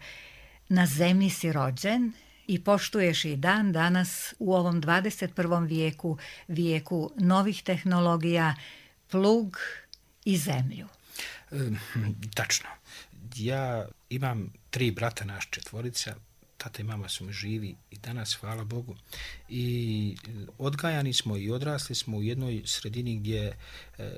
A: Na zemlji si rođen i poštuješ i dan danas u ovom 21. vijeku, vijeku novih tehnologija, plug i zemlju.
B: Tačno. Ja imam 3 brata, naš 4. Tata i mama su mi živi i danas, hvala Bogu. I odgajani smo i odrasli smo u jednoj sredini gdje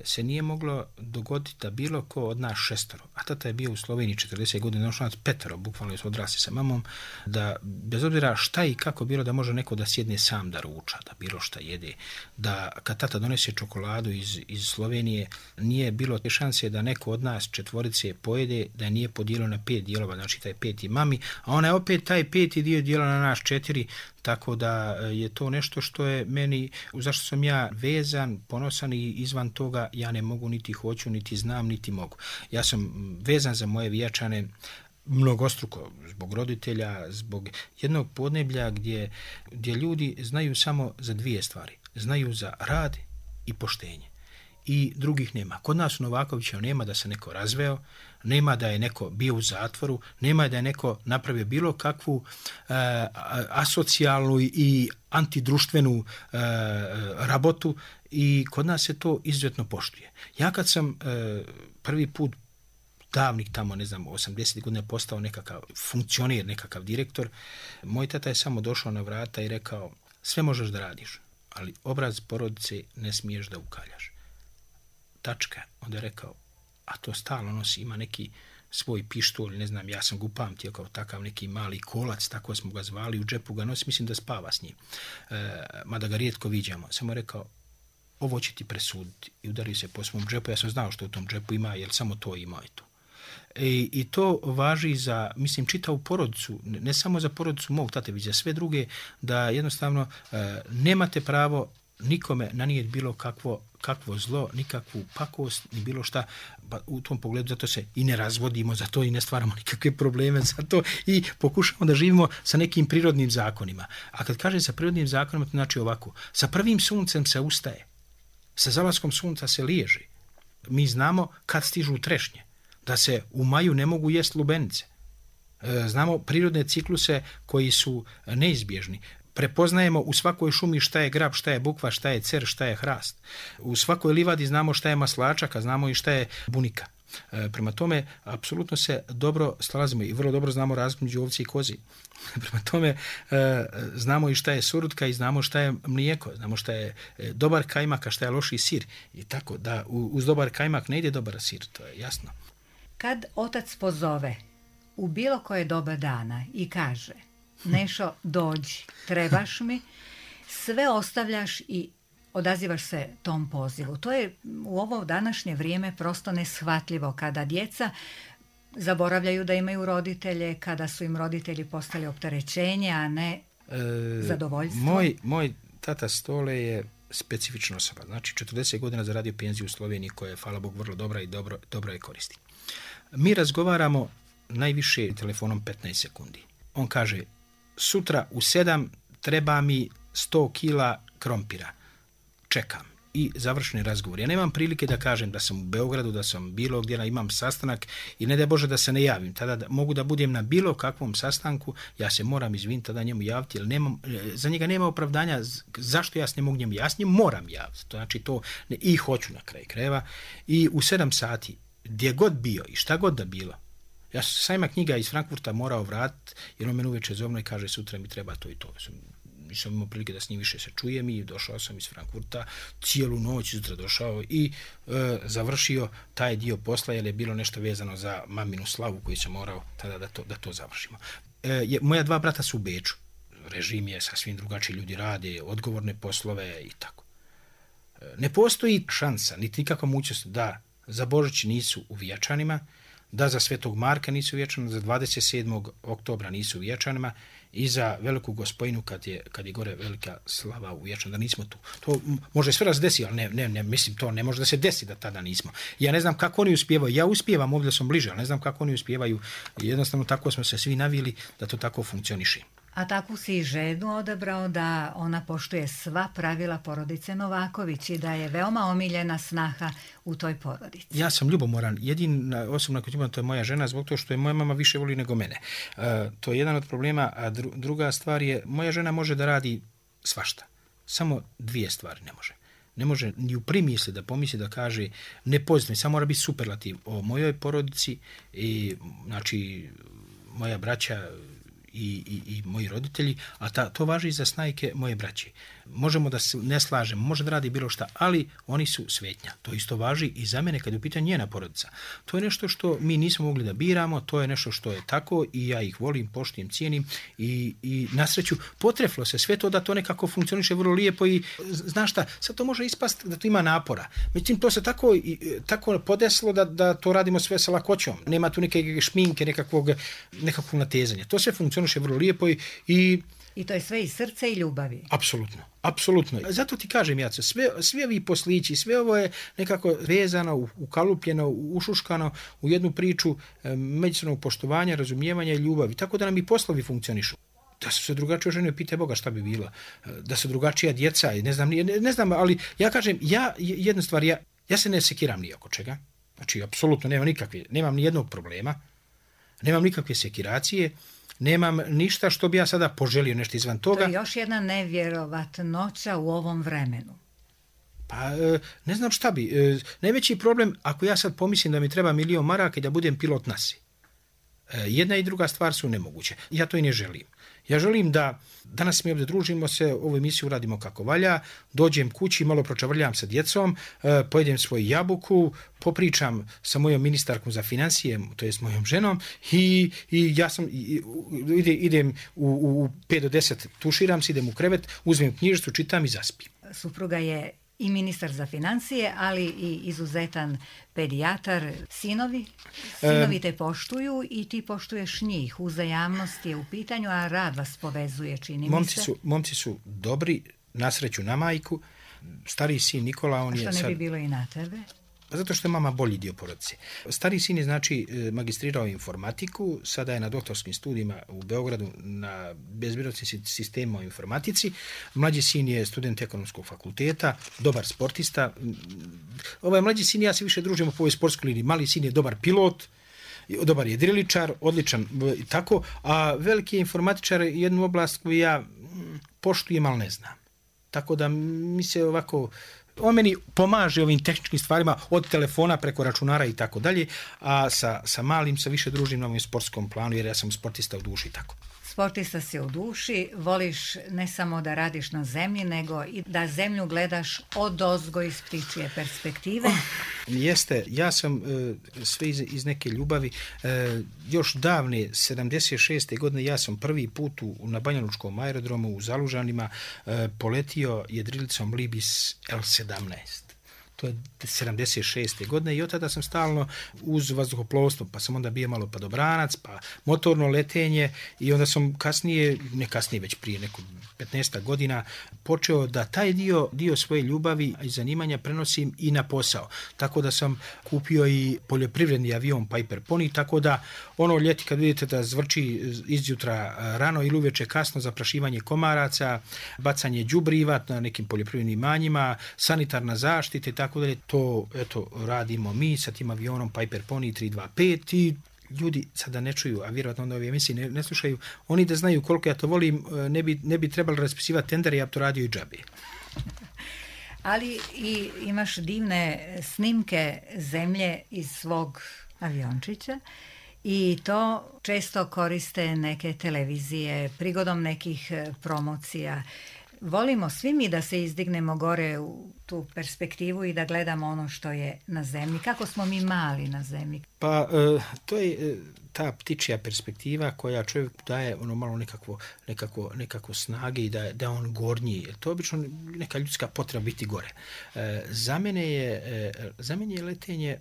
B: se nije moglo dogoditi da bilo ko od nas 6, a tata je bio u Sloveniji 40 godina, došao nas 5, bukvalno su odrasli sa mamom, da bez obzira šta i kako bilo, da može neko da sjedne sam da ruča, da bilo šta jede, da kad tata donese čokoladu iz Slovenije, nije bilo te šanse da neko od nas 4 pojede, da nije podijelio na 5 dijelova, znači taj 5 mami, a ona je opet taj 5 dio dijela na nas 4, tako da je to nešto što je meni, zašto sam ja vezan, ponosan i izvan toga ja ne mogu, niti hoću, niti znam, niti mogu. Ja sam vezan za moje Vijačane mnogostruko, zbog roditelja, zbog jednog podneblja gdje ljudi znaju samo za 2 stvari. Znaju za rad i poštenje. I drugih nema. Kod nas u Novakovića nema da se neko razveo, nema da je neko bio u zatvoru, nema da je neko napravio bilo kakvu asocijalnu i antidruštvenu rabotu i kod nas se to izuzetno poštuje. Ja kad sam prvi put davnih tamo, 80 godina postao nekakav funkcioner, nekakav direktor, moj tata je samo došao na vrata i rekao, sve možeš da radiš, ali obraz porodice ne smiješ da ukaljaš. Tačka. Onda je rekao, a to stalno nosi, ima neki svoj pištolj, ne znam, ja sam ga upamtio kao takav neki mali kolac, tako smo ga zvali, u džepu ga nosi, mislim da spava s njim, mada ga rijetko viđamo. Samo je rekao, ovo će ti presuditi, i udario se po svom džepu, ja sam znao što u tom džepu ima, jer samo to imao je to. I to važi za, mislim, čitavu porodicu, ne samo za porodicu mog tate, već za sve druge, da jednostavno nemate pravo nikome nanijeti bilo kakvo zlo, nikakvu pakost, ni bilo šta. Pa u tom pogledu zato se i ne razvodimo, zato i ne stvaramo nikakve probleme, zato i pokušamo da živimo sa nekim prirodnim zakonima. A kad kažem sa prirodnim zakonima, to znači ovako, sa prvim suncem se ustaje, sa zalaskom sunca se liježi. Mi znamo kad stižu trešnje, da se u maju ne mogu jesti lubenice. Znamo prirodne cikluse koji su neizbježni. Prepoznajemo u svakoj šumi šta je grab, šta je bukva, šta je cer, šta je hrast. U svakoj livadi znamo šta je maslačak, a znamo i šta je bunika. Prema tome, apsolutno se dobro snalazimo i vrlo dobro znamo razliku među ovci i kozi. Prema tome, znamo i šta je surutka i znamo šta je mlijeko, znamo šta je dobar kajmak, a šta je loši sir. I tako da uz dobar kajmak ne ide dobar sir, to je jasno.
A: Kad otac pozove u bilo koje doba dana i kaže, Nešo, dođi, trebaš mi, sve ostavljaš i odazivaš se tom pozivu. To je u ovo današnje vrijeme prosto neshvatljivo, kada djeca zaboravljaju da imaju roditelje, kada su im roditelji postali opterećenje, a ne zadovoljstvo.
B: Moj tata Stole je specifična osoba. Znači 40 godina zaradio penziju u Sloveniji koja je, hvala Bogu, vrlo dobra i dobro je koristi. Mi razgovaramo najviše telefonom 15 sekundi. On kaže, sutra u 7 treba mi 100 kila krompira. Čekam. I završeni razgovor. Ja nemam prilike da kažem da sam u Beogradu, da sam bilo gdje, imam sastanak i ne daj Bože da se ne javim. Tada mogu da budem na bilo kakvom sastanku, ja se moram izviniti tada njemu javiti, jer za njega nema opravdanja zašto ja se ne mogu njemu. Ja s njim moram javiti. To znači to i hoću na kraj krajeva. I u 7 sati, gdje god bio i šta god da bilo, ja sam sajma knjiga iz Frankfurta morao vratiti, jer on mene uveče zovno i kaže, sutra mi treba to i to. Nisam imao prilike da s njim više se čujem i došao sam iz Frankfurta, cijelu noć sutra došao i završio taj dio posla, jer je bilo nešto vezano za maminu slavu koju sam morao tada da to završimo. Moja 2 brata su u Beču. Režim je sasvim drugačiji, ljudi rade odgovorne poslove i tako. Ne postoji šansa, niti nikakva mogućnost da za Božić nisu u Vječanima, da za Svetog Marka nisu u Vječanima, za 27. oktobra nisu u Vječanima i za Veliku Gospojinu kad je gore velika slava u Vječanima, da nismo tu. To može sve raz desi, ali ne, mislim, to ne može da se desi da tada nismo. Ja ne znam kako oni uspijevaju, ja uspijevam, ovdje sam bliže, ali ne znam kako oni uspijevaju. Jednostavno tako smo se svi navili da to tako funkcioniše.
A: A takvu si i ženu odabrao da ona poštuje sva pravila porodice Novaković i da je veoma omiljena snaha u toj porodici.
B: Ja sam ljubomoran. Jedina osobna kod imam, to je moja žena, zbog toga što je moja mama više voli nego mene. To je jedan od problema, a druga stvar je, moja žena može da radi svašta. Samo dvije stvari ne može. Ne može ni u primisli da pomisli da kaže ne pozitivno, samo mora biti superlativ o mojoj porodici i znači moja braća i moji roditelji, a to važi i za snajke moje braće. Možemo da se ne slažemo, može da radi bilo šta, ali oni su svetnja. To isto važi i za mene kad je u pitanju njena porodica. To je nešto što mi nismo mogli da biramo, to je nešto što je tako i ja ih volim, poštujem, cijenim i na sreću potreflo se sve to da to nekako funkcioniše vrlo lijepo i znaš šta, sad to može ispast da to ima napora. Međutim, to se tako podesilo da to radimo sve sa lakoćom. Nema tu neke šminke, nekakvog natezanja. To sve funkcioniše vrlo lijepo
A: I to je sve iz srca i ljubavi.
B: Apsolutno. Zato ti kažem, Jaco, sve ovi poslići, sve ovo je nekako vezano, ukalupljeno, ušuškano u jednu priču međusobnog poštovanja, razumijevanja i ljubavi. Tako da nam i poslovi funkcionišu. Da su se drugačije žene, pitaj Boga šta bi bilo. Da su drugačija djeca, ne znam, ali ja kažem, jedna stvar, ja se ne sekiram ni oko čega. Znači, apsolutno nemam ni jednog problema, nemam nikakve sekiracije, nemam ništa što bi ja sada poželio nešto izvan toga.
A: To je još jedna nevjerovatnoća u ovom vremenu.
B: Pa ne znam šta bi. Najveći problem, ako ja sad pomislim da mi treba 1.000.000 maraka i da budem pilot nasi. Jedna i druga stvar su nemoguće. Ja to i ne želim. Ja želim da danas mi ovdje družimo se, ovu emisiju radimo kako valja, dođem kući, malo pročavrljam sa djecom, pojedem svoju jabuku, popričam sa mojom ministarkom za financije, to jest mojom ženom i ja sam idem u 5 do 10, tuširam se, idem u krevet, uzmem knjižicu, čitam i zaspim.
A: Supruga je i ministar za financije, ali i izuzetan pedijatar. Sinovi te poštuju i ti poštuješ njih. Uzajamnost je u pitanju, a rad vas povezuje, čini mi se.
B: Momci su dobri, na sreću na majku. Stariji sin Nikola, on je...
A: A što ne bi bilo i na tebe?
B: Zato što je mama bolji dio porodice. Stariji sin je znači magistrirao informatiku, sada je na doktorskim studijima u Beogradu na bezbirocnim sistemima o informatici. Mlađi sin je student ekonomskog fakulteta, dobar sportista. Ovaj mlađi sin ja se više družimo po ovoj sportskoj liniji. Mali sin je dobar pilot, dobar je driličar, odličan i tako, a veliki je informatičar, jednu oblast koju ja poštujem, ali ne znam. Tako da mi se ovako... On meni pomaže ovim tehničkim stvarima od telefona preko računara i tako dalje, a sa malim se više družim na ovom sportskom planu jer ja sam sportista u duši i tako.
A: Sportista si u duši, voliš ne samo da radiš na zemlji, nego i da zemlju gledaš odozgo iz ptičije perspektive.
B: Jeste, ja sam sve iz neke ljubavi, još davne 76. godine ja sam prvi put na Banjalučkom aerodromu u Zalužanima poletio jedrilicom Libis L-17. To je 76. godine i od tada sam stalno uz vazduhoplovstvo, pa sam onda bio malo padobranac, pa motorno letenje i onda sam već prije neko 15 godina počeo da taj dio svoje ljubavi i zanimanja prenosim i na posao. Tako da sam kupio i poljoprivredni avion Piper Pony, tako da ono ljeti kad vidite da zvrči izjutra rano ili uveče kasno zaprašivanje komaraca, bacanje đubriva na nekim poljoprivrednim imanjima, sanitarna zaštita i tako dalje, to radimo mi sa tim avionom Piper Pony 325 i ljudi sada ne čuju, a vjerojatno onda ove emisije ne slušaju, oni da znaju koliko ja to volim, ne bi trebalo raspisivati tendere, ja bi to radio i džabe.
A: Ali i imaš divne snimke zemlje iz svog aviončića i to često koriste neke televizije prigodom nekih promocija. Volimo svi mi da se izdignemo gore u tu perspektivu i da gledamo ono što je na zemlji. Kako smo mi mali na zemlji?
B: Pa to je ta ptičja perspektiva koja čovjek daje ono malo nekako snage i da on gornji. To je obično neka ljudska potreba biti gore. Za mene je letenje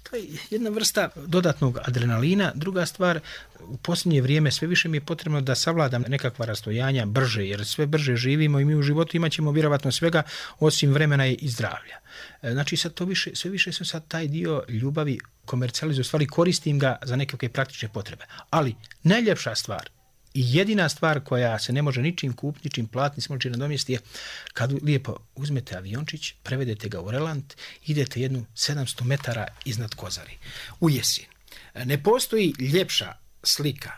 B: To je jedna vrsta dodatnog adrenalina. Druga stvar, u posljednje vrijeme sve više mi je potrebno da savladam nekakva rastojanja brže, jer sve brže živimo i mi u životu imat ćemo vjerovatno svega osim vremena i zdravlja. Znači sad to više, sve više sam sad taj dio ljubavi komercijalizuje, stvari koristim ga za nekakve praktične potrebe. Ali najljepša stvar i jedina stvar koja se ne može ničim kupiti, ničim platiti, se može nadomjestiti je kad lijepo uzmete aviončić, prevedete ga u relant, idete jednu 700 metara iznad Kozari, u jesen. Ne postoji ljepša slika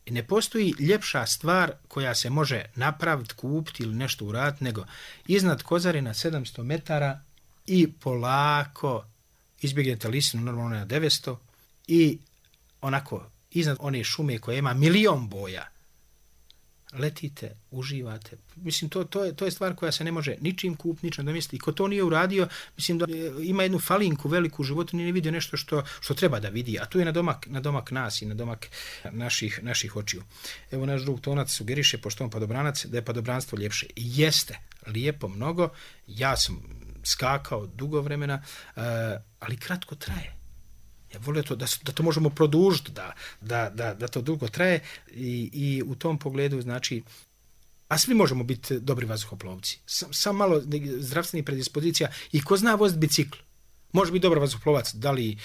B: i ne postoji ljepša stvar koja se može napraviti, kupiti ili nešto uraditi, nego iznad Kozari na 700 metara i polako izbjegnete listinu, normalno na 900 i onako iznad one šume koja ima milion boja. Letite, uživate. Mislim, to je stvar koja se ne može ničim kupiti, ničim nadomjestiti. I ko to nije uradio, mislim da ima jednu falinku veliku u životu, nije vidio nešto što treba da vidi. A tu je na domak nas i na domak naših očiju. Evo naš drug Tonac sugeriše, pošto on padobranac, da je padobranstvo ljepše. I jeste lijepo mnogo. Ja sam skakao dugo vremena, ali kratko traje. Ja volio to da to možemo produžiti, da to dugo traje i u tom pogledu, znači, a svi možemo biti dobri vazduhoplovci. Sam malo zdravstvenih predispozicija i ko zna voziti bicikl. Može biti dobar vazduhoplovac, da li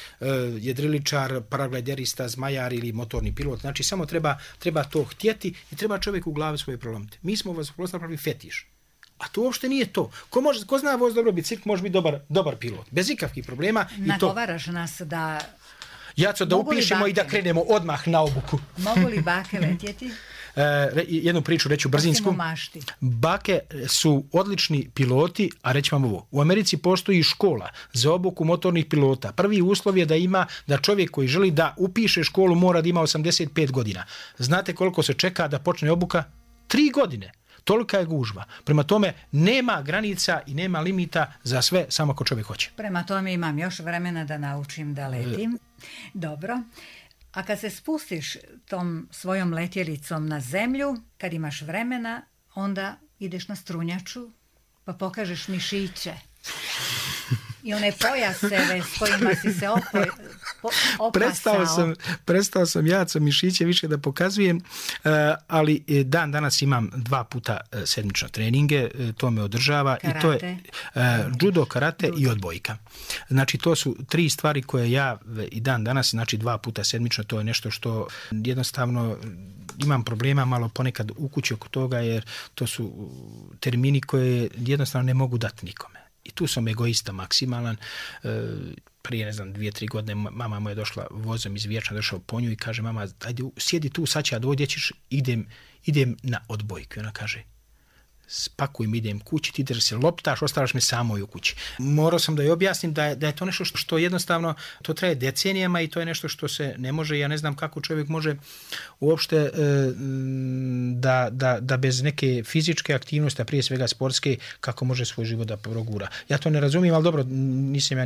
B: jedriličar, paraglajderista, zmajar ili motorni pilot. Znači, samo treba to htjeti i treba čovjek u glavi svoje prolomiti. Mi smo vazduhoplovci napravili fetiš. A to uopšte nije to. Ko zna voz dobro bicikl, može biti dobar pilot. Bez ikakvih problema.
A: Nagovaraš nas da...
B: Jaco, da upišemo i da krenemo odmah na obuku.
A: Mogu li bake letjeti?
B: Jednu priču reću brzinsku. Bake su odlični piloti, a reći vam ovo. U Americi postoji škola za obuku motornih pilota. Prvi uslov je da čovjek koji želi da upiše školu mora da ima 85 godina. Znate koliko se čeka da počne obuka? 3 godine. Tolika je gužva. Prema tome, nema granica i nema limita za sve, samo ako čovjek hoće.
A: Prema tome, imam još vremena da naučim da letim. Dobro. A kad se spustiš tom svojom letjelicom na zemlju, kad imaš vremena, onda ideš na strunjaču, pa pokažeš mišiće. I one pojaseve s kojima si se opasao.
B: Prestao sam Jaco mišiće više da pokazujem, ali danas imam 2 puta sedmično treninge, to me održava.
A: Karate.
B: I to je judo, karate i odbojka. Znači to su 3 stvari koje ja i danas, znači 2 puta sedmično, to je nešto što jednostavno imam problema malo ponekad u kući oko toga, jer to su termini koje jednostavno ne mogu dati nikome. I tu sam egoista maksimalan. Prije, 2-3 godine mama moja došla vozom iz Vijećna, došao po nju i kaže, mama, ajde, sjedi tu, sad će ja dođe, ćeš, idem na odbojku. I ona kaže, spakujem, idem kući, ti da se loptaš, ostavljaš me samo u kući. Morao sam da joj objasnim da je to nešto što jednostavno, to traje decenijama i to je nešto što se ne može, ja ne znam kako čovjek može uopšte da bez neke fizičke aktivnosti, a prije svega sportske, kako može svoj život da progura. Ja to ne razumijem, ali dobro, nisam ja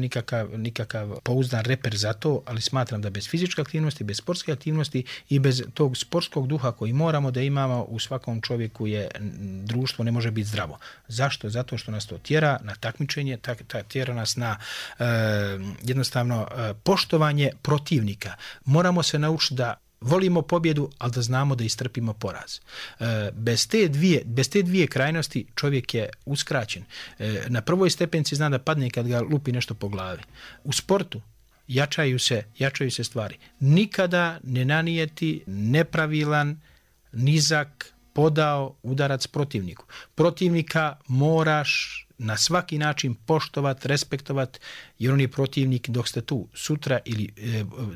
B: nikakav pouzdan reper za to, ali smatram da bez fizičke aktivnosti, bez sportske aktivnosti i bez tog sportskog duha koji moramo da imamo u svakom čovjeku je društvo ne može biti zdravo. Zašto? Zato što nas to tjera na takmičenje, tjera nas na jednostavno poštovanje protivnika. Moramo se naučiti da volimo pobjedu, ali da znamo da istrpimo poraz. Bez te dvije krajnosti čovjek je uskraćen. Na prvoj stepenci zna da padne kad ga lupi nešto po glavi. U sportu jačaju se stvari. Nikada ne nanijeti nepravilan, nizak, podao udarac protivniku. Protivnika moraš na svaki način poštovati, respektovati, jer on je protivnik dok ste tu. Sutra ili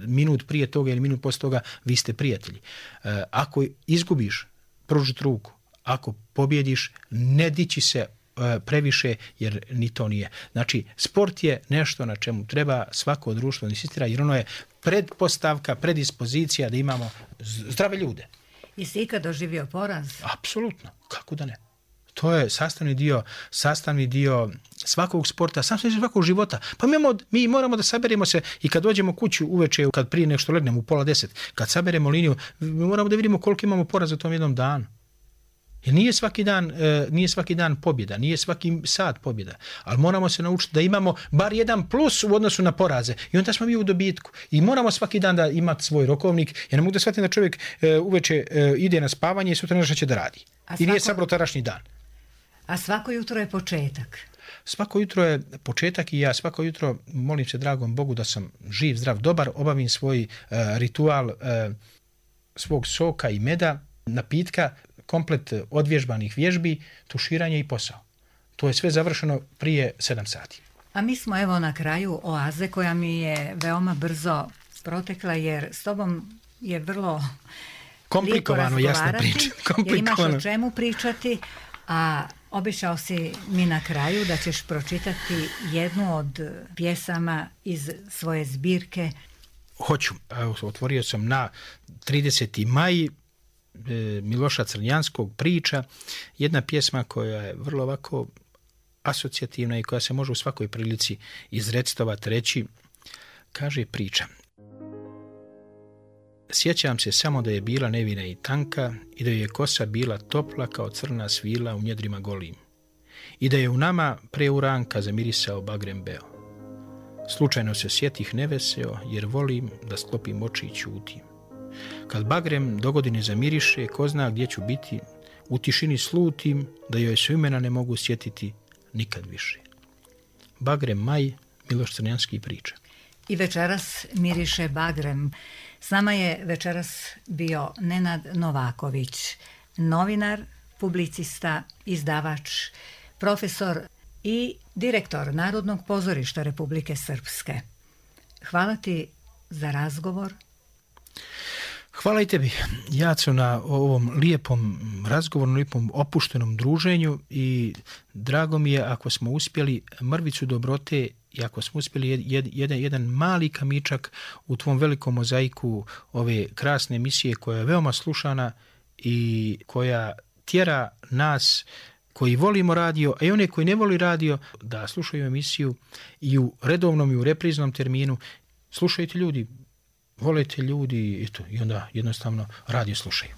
B: minut prije toga ili minut poslije toga vi ste prijatelji. Ako izgubiš, pružiti ruku. Ako pobjediš, ne dići se previše, jer ni to nije. Znači, sport je nešto na čemu treba svako društvo insistira, jer ono je pretpostavka, predispozicija da imamo zdrave ljude.
A: Jesi ikad doživio poraz?
B: Apsolutno, kako da ne. To je sastavni dio svakog sporta, sastavni dio svakog života. Pa mi moramo da saberemo se i kad dođemo kuću uveče, kad prije nešto legnemo u 9:30, kad saberemo liniju, mi moramo da vidimo koliko imamo poraza u tom jednom danu. Jer nije svaki dan pobjeda, nije svaki sat pobjeda, ali moramo se naučiti da imamo bar jedan plus u odnosu na poraze i onda smo mi u dobitku. I moramo svaki dan da imati svoj rokovnik. Ja ne mogu da shvatim da čovjek uveče ide na spavanje i sutra nešto će da radi. I nije sabro tadašnji dan.
A: A svako jutro je početak.
B: Svako jutro je početak i ja svako jutro molim se dragom Bogu da sam živ, zdrav, dobar, obavim svoj ritual svog soka i meda, napitka, komplet odvježbanih vježbi, tuširanje i posao. To je sve završeno prije 7 sati.
A: A mi smo evo na kraju oaze koja mi je veoma brzo protekla jer s tobom je vrlo
B: komplikovano, jasno pričati.
A: Jer imaš o čemu pričati, a obećao si mi na kraju da ćeš pročitati jednu od pjesama iz svoje zbirke.
B: Hoću. Otvorio sam na 30. maj Miloša Crnjanskog Priča, jedna pjesma koja je vrlo ovako asocijativna i koja se može u svakoj prilici izrecitovati, reći. Kaže priča. Sjećam se samo da je bila nevina i tanka i da je kosa bila topla kao crna svila u njedrima golim i da je u nama preuranka zamirisao bagrem beo. Slučajno se sjetih neveseo jer volim da sklopim oči i ćutim. Kad bagrem dogodine zamiriše, ko zna gdje ću biti, u tišini slutim da joj se imena ne mogu sjetiti nikad više. Bagrem maj, Miloš Crnjanski Priča.
A: I večeras miriše bagrem. S nama je večeras bio Nenad Novaković, novinar, publicista, izdavač, profesor i direktor Narodnog pozorišta Republike Srpske. Hvala ti za razgovor.
B: Hvala i tebi, Jaco, na ovom lijepom razgovoru, lijepom opuštenom druženju i drago mi je ako smo uspjeli mrvicu dobrote i ako smo uspjeli jedan mali kamičak u tvom velikom mozaiku ove krasne emisije koja je veoma slušana i koja tjera nas koji volimo radio, a i one koji ne voli radio, da slušaju emisiju i u redovnom i u repriznom terminu. Slušajte ljudi, volite ljudi i onda jednostavno radio slušaju.